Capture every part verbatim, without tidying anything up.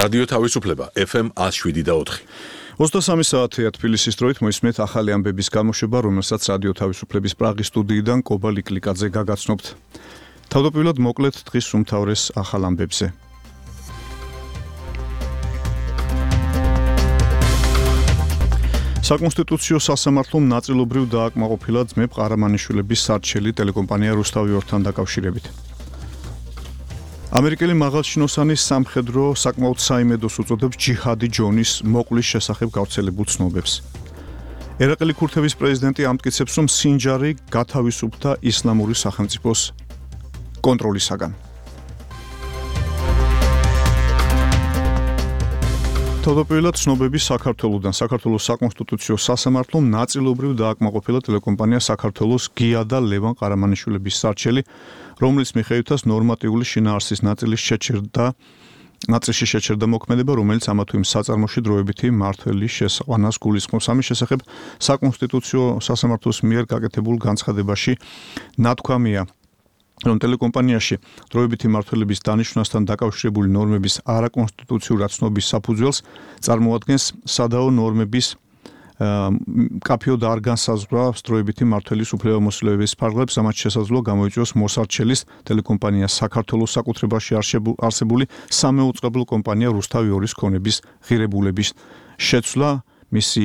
რადიო თავისუფლება ეფ ემ one oh seven და four. ოცდასამი საათია თბილისის დროით მოისმენთ ახალი ამბების გამოშვება, რომელსაც რადიო თავისუფლების პრაღის სტუდიიდან კობა ლიკლიკაძე გაგაცნობთ. თავდაპირველად მოკლედ დღის უმთავრეს ახალ ამბებზე. საკონსტიტუციო სასამართლომ ნაწილობრივ დააკმაყოფილა ძმებ ყარამანიშვილების სარჩელი ტელეკომპანია რუსთავი ორთან დაკავშირებით. ამერიკელი მაღალჩინოსანის სამხედრო საკმაოდ საიმედოს უწოდებს ჯიჰადი ჯონის მოკვლის შესახებ გავრცელებულ ცნობებს. ერაყელი ქურთების პრეზიდენტი ამტკიცებს, რომ სინჯარი გათავისუფლდა ისლამური სახელმწიფოს კონტროლისაგან. თავდაპირველად ცნობები საქართველოდან. საქართველოს საკონსტიტუციო სასამართლომ ნაწილობრივ დააკმაყოფილა ტელეკომპანია საქართველოს გია და ლევან ყარამანიშვილების სარჩელი, რომლის მიხედვითაც ნორმატიული შინაარსის ნაწილის შეჩერდა ნაწილში შეჩერდა მოქმედება, რომელიც ამა თუ იმ საწარმოში დროებითი მმართველის შესაყვანას გულისხმობს. ამის შესახებ საკონსტიტუციო სასამართლოს მიერ გაკეთებულ განცხადებაში ნათქვამია, რომ ტელეკომპანიაში დროებითი მმართველების დანიშვნასთან დაკავშირებული ნორმების არაკონსტიტუციურად ცნობის საფუძველს წარმოადგენს სადაო ნორმების კაფეო და არ განსაზღვრავს დროებითი მმართველის უფლებამოსილების ფარგლებს, ამათ შესაძლოა გამოიწვიოს მოსარჩელის ტელეკომპანია საქართველოს საკუთრებაში არსებული სამეუწყებლო კომპანია რუსთავი ორის ქონების ღირებულების შეცვლა, მისი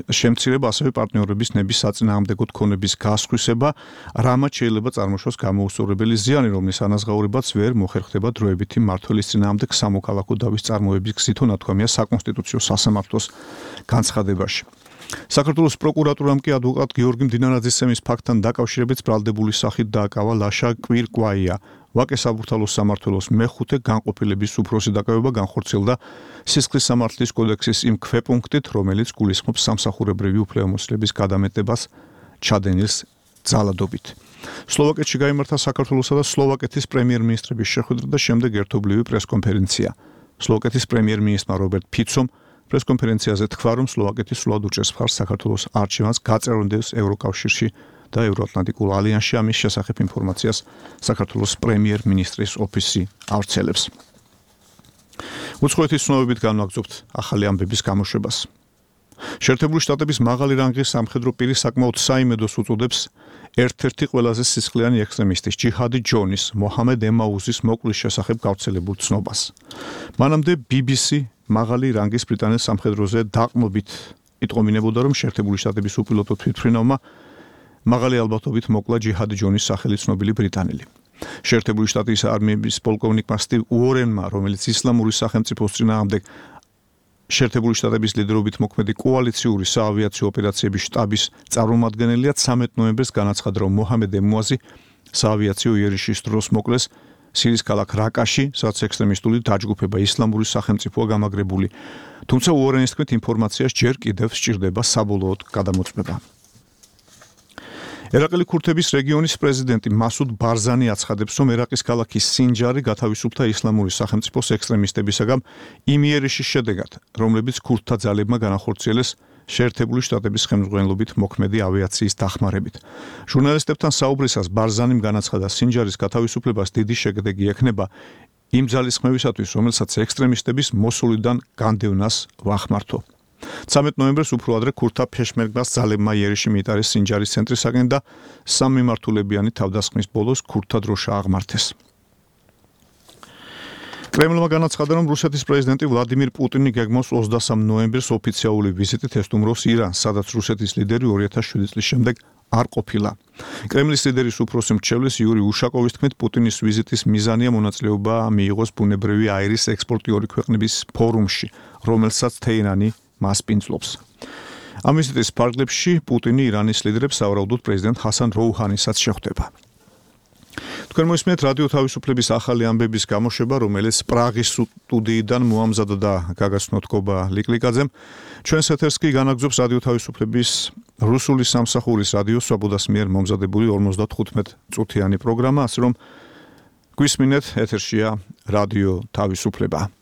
შემცირება, ასევე პარტნიორების ნების საწინააღმდეგო ქონების გასხვისება, რამაც შეიძლება წარმოშოს გამოუსწორებელი ზიანი, რომლის ანაზღაურებაც ვერ მოხერხდება დროებითი მმართველის წინააღმდეგ სამოქალაქო დავის წარმოების გზითო, ნათქვამია საკონსტიტუციო სასამართლოს განცხადებაში. საქართველოს პროკურატურამ კი ადვოკატ გიორგი მდინარაძისცემის ფაქტთან დაკავშირებით ბრალდებული სახით დააკავა ლაშა კვირკვაია. ვაკე საბურთალოს სამმართველოს მეხუთე განყოფილების უფროსი დაკავება განხორციელდა სისხლის სამართლის კოდექსის იმ ქვეპუნქტით, რომელიც გულისხმობს სამსახურებრივი უფლებამოსილების გადამეტებას ჩადენილს ძალადობით. სლოვაკეთში გაიმართა საქართველოსა და სლოვაკეთის პრემიერ-მინისტრების შეხვედრა და შემდეგ ერთობლივი პრესკონფერენცია. სლოვაკეთის პრემიერ-მინისტრმა რობერტ ფიცომ პრესკონფერენციაზე თქვა, რომ სლოვაკეთი სულად უჭერს მხარს საქართველოს არჩევანს გაწევრონდეს ევროკავშირში და ევროატლანტიკულ ალიანსში. ამის შესახებ ინფორმაციას საქართველოს პრემიერ-მინისტრის ოფისი ავრცელებს. უცხოეთის ცნობებით განვაგრძობთ ახალი ამბების გამოშვებას. შეერთებული შტატების მაღალი რანგის სამხედრო პირი საკმაოდ საიმედოს უწოდებს ერთ-ერთი ყველაზე სისხლიანი ექსტრემისტის ჯიჰადი ჯონის მოჰამედ ემაუზის მოკვლის შესახებ გავრცელებულ ცნობას. მანამდე ბი ბი სი მაღალი რანგის ბრიტანელ სამხედროზე დაყრდნობით იტყომინებოდა, რომ შეერთებული შტატების უპილოტო თვითმფრინავმა მაღალი ალბათობით მოკლა ჯიჰადი ჯონის სახელი ცნობილი ბრიტანელი. შეერთებული შტატის არმიების პოლკოვნიკმა სტივ უორენმა, რომელიც ისლამური სახელმწიფოს წინააღმდეგ შეერთებული შტატების ლიდერობით მოქმედი კოალიციური საავიაციო ოპერაციების შტაბის წარმომადგენელია, ცამეტ ნოემბერს განაცხადა, რომ მოჰამედ ემუაზი საავიაციო იერიშის დროს მოკლეს სირიის ქალაქ რაკაში, სადაც ექსტრემისტული დაჯგუფება ისლამური სახელმწიფოა გამაგრებული. თუმცა უორენის თქმით, ინფორმაციას ჯერ კიდევ სჭირდება საბოლოოდ გადამოწმება. ერაყელი ქურთების რეგიონის პრეზიდენტი მასუდ ბარზანი აცხადებს, რომ ერაყის ქალაქი სინჯარი გათავისუფლდა ისლამური სახელმწიფოს ექსტრემისტებისაგან იმ იერიშის შედეგად, რომლებიც ქურთთა ძალებმა განახორციელეს შეერთებული შტატების ხელმძღვანელობით მოქმედი ავიაციის დახმარებით. ჟურნალისტებთან საუბრისას ბარზანიმ განაცხადა, სინჯარის გათავისუფლებას დიდი შედეგი ექნება იმ ძალისხმევისათვის, რომელსაც ექსტრემისტების მოსულიდან განდევნას ვახმართო. ცამეტ ნოემბერს უფრო ადრე ქურთთა ფეშმერგას ძალებმა იერიში მიიტარეს სინჯარის ცენტრისაკენ და სამმიმართულებიანი თავდასხმის ბოლოს ქურთთა დროშა აღმართეს. კრემლმა განაცხადა, რომ რუსეთის პრეზიდენტი ვლადიმირ პუტინი გეგმავს ოცდასამ ნოემბერს ოფიციალური ვიზიტით ესტუმროს ირანს, სადაც რუსეთის ლიდერი ორი ათას შვიდი წლის შემდეგ არ ყოფილა. კრემლის ლიდერის უფროსი მრჩევლის იური უშაკოვის თქმით, პუტინის ვიზიტის მიზანია მონაწილეობა მიიღოს ბუნებრივი აირის ექსპორტიორი ქვეყნების ფორუმში, რომელსაც თეირანი მას პინძლობს. ამ ვიზიტის ფარგლებში პუტინი ირანის ლიდერებს სავარაუდოდ პრეზიდენტ ჰასან როუჰანისაც შეხვდება. თქვენ მოისმენთ რადიო თავისუფლების ახალი ამბების გამოშვება, რომელიც პრაღის სტუდიიდან მოამზადა და გაგაცნოთ კობა ლიკლიკაძემ. ჩვენს ეთერს კი განაგრძობს რადიო თავისუფლების რუსული სამსახურის რადიო სვაბოდას მიერ მომზადებული ორმოცდათხუთმეტ წუთიანი პროგრამა, ასე რომ გვისმინეთ, ეთერშია რადიო თავისუფლება.